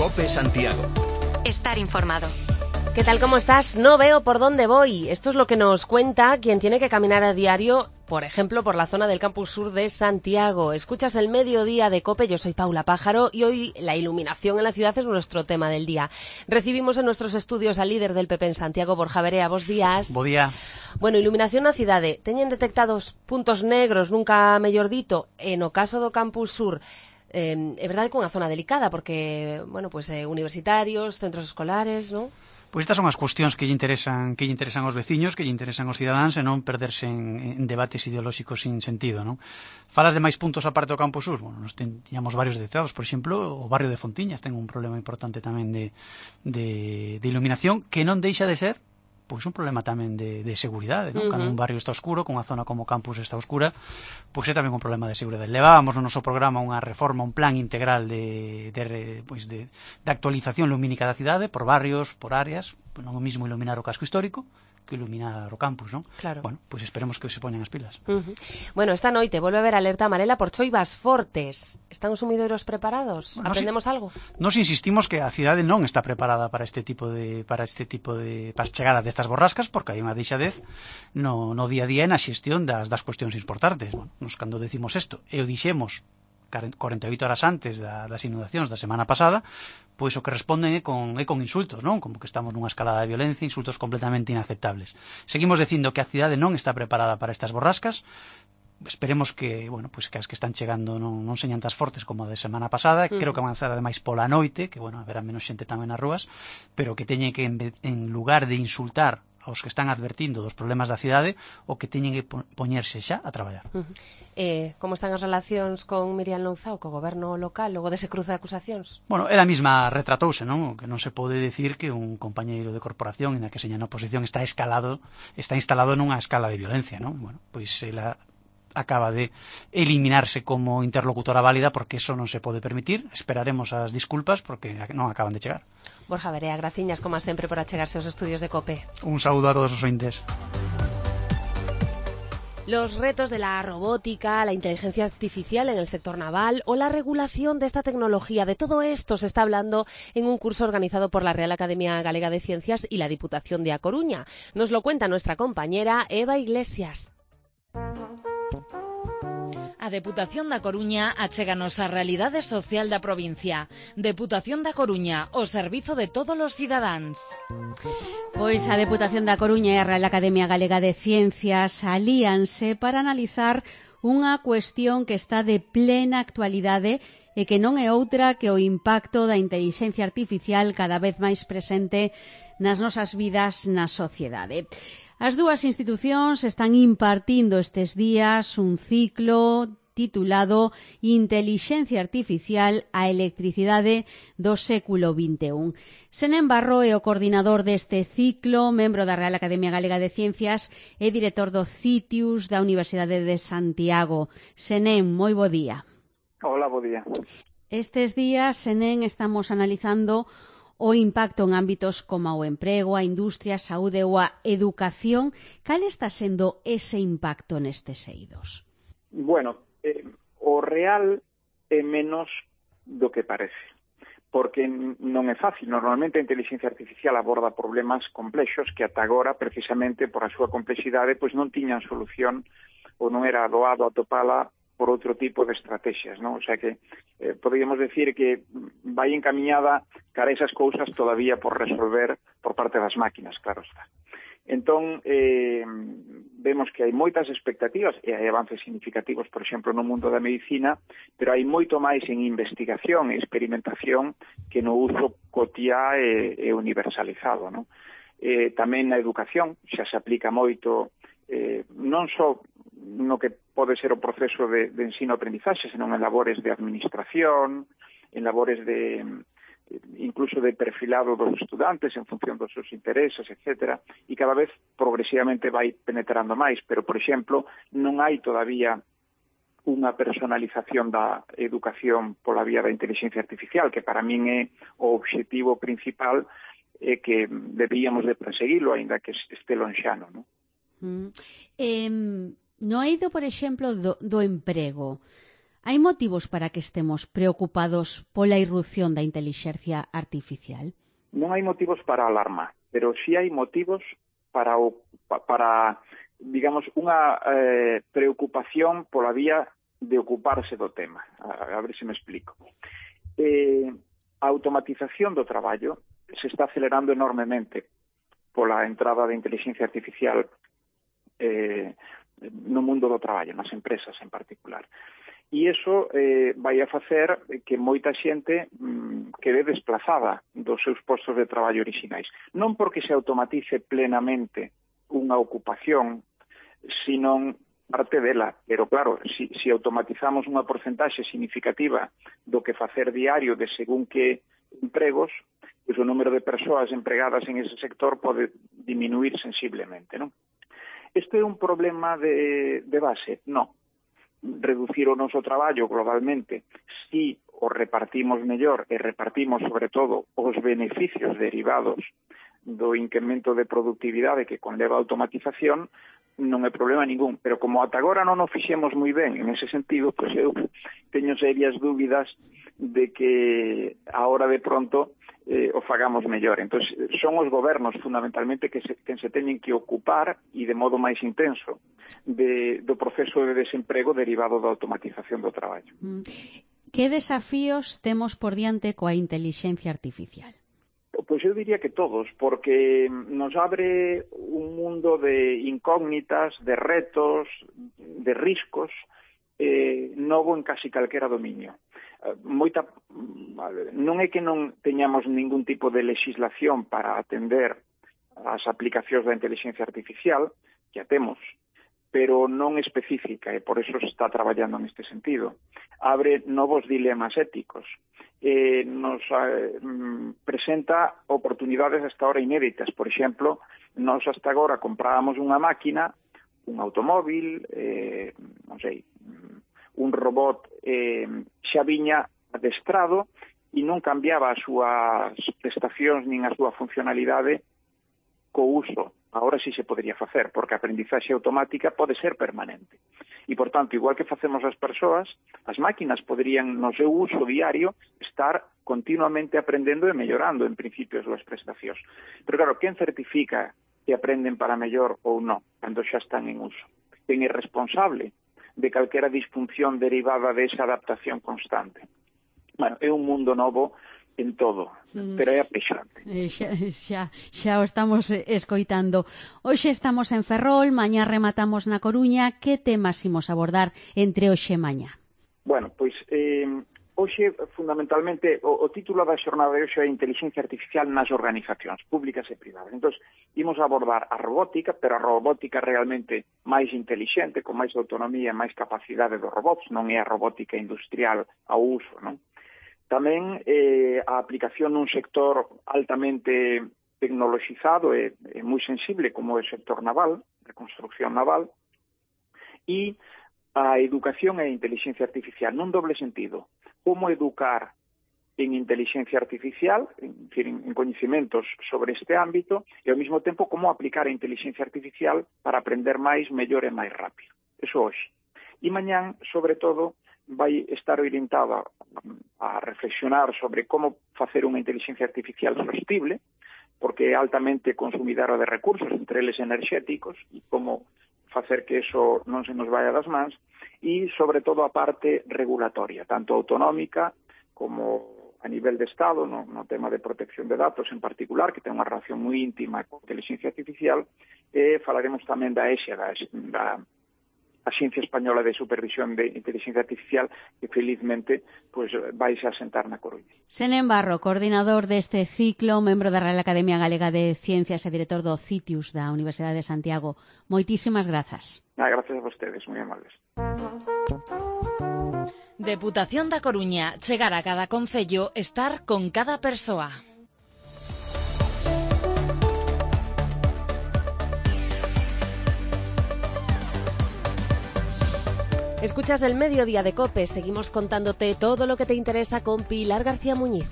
COPE Santiago. Estar informado. ¿Qué tal, cómo estás? No veo por dónde voy. Esto es lo que nos cuenta quien tiene que caminar a diario, por ejemplo, por la zona del Campus Sur de Santiago. Escuchas el mediodía de COPE, yo soy Paula Pájaro y hoy la iluminación en la ciudad es nuestro tema del día. Recibimos en nuestros estudios al líder del PP en Santiago, Borja Verea. Bos días. Bo día. Bueno, iluminación na cidade. Teñen detectados puntos negros, nunca mellor dito, en o caso do Campus Sur. É verdade que é unha zona delicada porque, bueno, pues universitarios, centros escolares, non? Pois estas son as cuestións que lle interesan aos veciños, que lle interesan aos cidadáns e non perderse en debates ideolóxicos sin sentido, non? Falas de máis puntos aparte do Campus Sur? Bueno, nos tiñamos varios detectados, por exemplo, o barrio de Fontiñas ten un problema importante tamén de iluminación que non deixa de ser pois un problema tamén de seguridade, non? Cando un barrio está oscuro, con unha zona como o campus está oscura, pois é tamén un problema de seguridade. Levábamos no noso programa unha reforma, un plan integral de actualización lumínica da cidade, por barrios, por áreas, non o mismo iluminar o casco histórico que iluminar o campus, non? Claro. Bueno, pois esperemos que se poñan as pilas. Bueno, esta noite volve a haber alerta amarela por choivas fortes. Están os sumidoiros preparados? Bueno, Aprendemos algo? Nos insistimos que a cidade non está preparada para as chegadas destas borrascas, porque hai unha deixadez no día a día e na xestión das cuestións importantes. Bueno, nos cando decimos isto, e o dixemos 48 horas antes das inundacións da semana pasada, pois o que responden é con insultos, non? Como que estamos nunha escalada de violencia, insultos completamente inaceptables. Seguimos dicindo que a cidade non está preparada para estas borrascas. Esperemos que, bueno, pois que as que están chegando non señan tan fortes como a de semana pasada. Creo que avanzar ademais pola noite, que, bueno, haberá menos xente tamén nas rúas, pero que teñen que, en lugar de insultar aos que están advertindo dos problemas da cidade, o que teñen que poñerse xa a traballar. Como están as relacións con Miriam Louzao, co goberno local, logo dese cruce de acusacións? Bueno, ela mesma retratouse, non? Que non se pode decir que un compañeiro de corporación en a que seña na oposición está instalado nunha escala de violencia, non? Bueno, pois ela acaba de eliminarse como interlocutora válida porque eso non se pode permitir. Esperaremos as disculpas porque non acaban de chegar. Borja Verea, graciñas como sempre por achegarse aos estudios de COPE. Un saúdo a todos os ointes. Los retos de la robótica, la inteligencia artificial en el sector naval o la regulación de esta tecnología, de todo esto se está hablando en un curso organizado por la Real Academia Galega de Ciencias y la Diputación de A Coruña. Nos lo cuenta nuestra compañera Eva Iglesias. A Deputación da Coruña achéganos a realidade social da provincia. Deputación da Coruña, o servizo de todos os cidadáns. Pois a Deputación da Coruña e a Real Academia Galega de Ciencias alíanse para analizar unha cuestión que está de plena actualidade e que non é outra que o impacto da intelixencia artificial cada vez máis presente nas nosas vidas na sociedade. As dúas institucións están impartindo estes días un ciclo titulado Intelixencia Artificial a Electricidade do século XXI. Senén Barro é o coordinador deste ciclo, membro da Real Academia Galega de Ciencias e director do CITIUS da Universidade de Santiago. Senén, moi bo día. Hola, bo día. Estes días, Senén, estamos analizando o impacto en ámbitos como o emprego, a industria, a saúde ou a educación. Cal está sendo ese impacto nestes eidos? Bueno, o real é menos do que parece, porque non é fácil. Normalmente a inteligencia artificial aborda problemas complexos que ata agora, precisamente por a súa complexidade, pois non tiñan solución ou non era doado atopala por outro tipo de estrategias, non? O sea que podríamos decir que vai encamiñada cara a esas cousas todavía por resolver por parte das máquinas, claro está. Entón, vemos que hai moitas expectativas e hai avances significativos, por exemplo, no mundo da medicina, pero hai moito máis en investigación e experimentación que no uso cotiá e universalizado, non? Tamén na educación xa se aplica moito, non só no que pode ser o proceso de ensino-aprendizaxe, senón en labores de administración, en labores de incluso de perfilado dos estudantes en función dos seus intereses, etc. E cada vez progresivamente vai penetrando máis, pero, por exemplo, non hai todavía unha personalización da educación pola vía da inteligencia artificial, que para min é o obxectivo principal e que debíamos de perseguilo, aínda que este lonxano, non? No eido, por exemplo, do emprego, Hai motivos para que estemos preocupados pola irrupción da intelixencia artificial? Non hai motivos para alarma, pero sí hai motivos para digamos, unha preocupación pola vía de ocuparse do tema. A ver se me explico. A automatización do traballo se está acelerando enormemente pola entrada da inteligencia artificial no mundo do traballo, nas empresas en particular. E iso vai a facer que moita xente quede desplazada dos seus postos de traballo orixinais. Non porque se automatice plenamente unha ocupación, sino parte dela. Pero claro, se automatizamos unha porcentaxe significativa do que facer diario de según que empregos, pois o número de persoas empregadas en ese sector pode diminuir sensiblemente, non? Isto é un problema de base? Non. Reducir o noso traballo globalmente, si o repartimos mellor e repartimos sobre todo os beneficios derivados do incremento de productividade que conleva a automatización, non é problema ningún. Pero como ata agora non o fixemos moi ben en ese sentido, pois eu teño serias dúbidas de que a hora de pronto o fagamos mellor. Entón, son os gobernos fundamentalmente que se teñen que ocupar e de modo máis intenso do proceso de desemprego derivado da automatización do traballo. Que desafíos temos por diante coa intelixencia artificial? Pois eu diría que todos, porque nos abre un mundo de incógnitas, de retos, de riscos novo en casi calquera dominio. Non é que non teñamos ningún tipo de legislación para atender as aplicacións da inteligencia artificial, que a temos, pero non específica, e por eso se está traballando neste sentido. Abre novos dilemas éticos, nos presenta oportunidades hasta ahora inéditas. Por exemplo, nós hasta agora comprábamos unha máquina, un automóvil, non sei, un robot xa viña adestrado e non cambiaba as súas prestacións nin a súa funcionalidade co uso. Agora sí se podría facer, porque a aprendizaxe automática pode ser permanente. E, por tanto, igual que facemos as persoas, as máquinas poderían, no seu uso diario, estar continuamente aprendendo e mellorando, en principio, as súas prestacións. Pero, claro, quen certifica que aprenden para mellor ou non, cando xa están en uso? Quen é responsable de calquera disfunción derivada desa adaptación constante? Bueno, é un mundo novo en todo, pero é apexante. Xa o estamos escoitando. Hoxe estamos en Ferrol, mañá rematamos na Coruña. Que temas imos abordar entre hoxe e mañá? Bueno, pois hoxe, fundamentalmente, o título da xornada de hoxe é Inteligencia Artificial nas organizacións públicas e privadas. Entón, imos abordar a robótica, pero a robótica realmente máis intelixente, con máis autonomía e máis capacidade dos robots, non é a robótica industrial ao uso, non? Tamén a aplicación nun sector altamente tecnoloxizado e moi sensible como é o sector naval, de construcción naval, e a educación e a inteligencia artificial nun doble sentido. Como educar en inteligencia artificial, en coñecementos sobre este ámbito, e ao mesmo tempo como aplicar a inteligencia artificial para aprender máis, mellor e máis rápido. Eso hoxe. E mañán, sobre todo, vai estar orientada a reflexionar sobre como facer unha inteligencia artificial sostible, porque é altamente consumidora de recursos, entre eles enerxéticos, e como facer que eso non se nos vaya das mans, e sobre todo a parte regulatoria, tanto autonómica como a nivel de Estado, no tema de protección de datos en particular, que ten unha relación moi íntima con a inteligencia artificial, e falaremos tamén da ESA, da Axencia Española de Supervisión de Inteligencia Artificial, que felizmente pues, vais a sentar na Coruña. Senén Barro, coordinador deste ciclo, membro da Real Academia Galega de Ciencias e director do CITIUS da Universidade de Santiago. Moitísimas grazas. Gracias a vostedes, moi amables. Deputación da Coruña, chegar a cada concello, estar con cada persoa. Escuchas el Mediodía de COPE. Seguimos contándote todo lo que te interesa con Pilar García Muñiz.